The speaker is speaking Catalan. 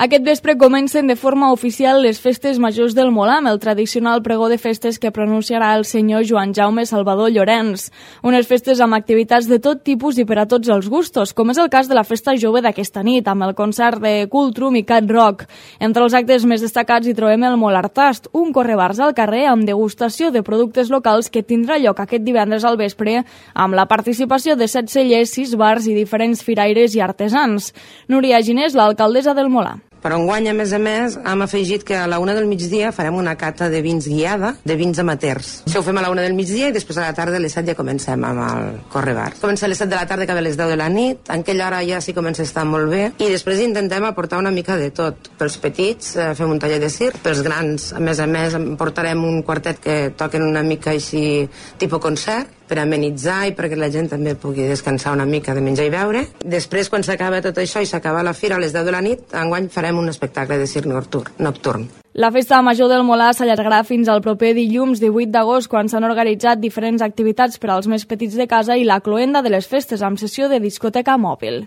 Aquest vespre comencen de forma oficial les festes majors del Molar, amb el tradicional pregó de festes que pronunciarà el senyor Joan Jaume Salvador Llorenç. Unes festes amb activitats de tot tipus i per a tots els gustos, com és el cas de la festa jove d'aquesta nit, amb el concert de Cultrum i Cat Rock. Entre els actes més destacats hi trobem el Molartast, un correbars al carrer amb degustació de productes locals que tindrà lloc aquest divendres al vespre amb la participació de 7 cellers, 6 bars i diferents firaires i artesans. Núria Ginés, l'alcaldessa del Molar. Però enguany, a més, hem afegit que a la 1 del migdia farem una cata de vins guiada, de vins amateurs. Això ho fem a la 1 del migdia i després a la tarda a les 7 ja comencem amb el correbar. Comença a les 7 de la tarda, acaba a les 10 de la nit, en aquella hora ja sí comença a estar molt bé i després intentem aportar una mica de tot. Pels petits fem un taller de circ, pels grans, a més, portarem un quartet que toquen una mica així tipus concert, per amenitzar i perquè la gent també pugui descansar una mica de menjar i beure. Després, quan s'acaba tot això i s'acaba la fira a les 10 de la nit, enguany farem un espectacle de circ nocturn. La festa major del Molar s'allargarà fins al proper dilluns 18 d'agost, quan s'han organitzat diferents activitats per als més petits de casa i la cloenda de les festes amb sessió de discoteca mòbil.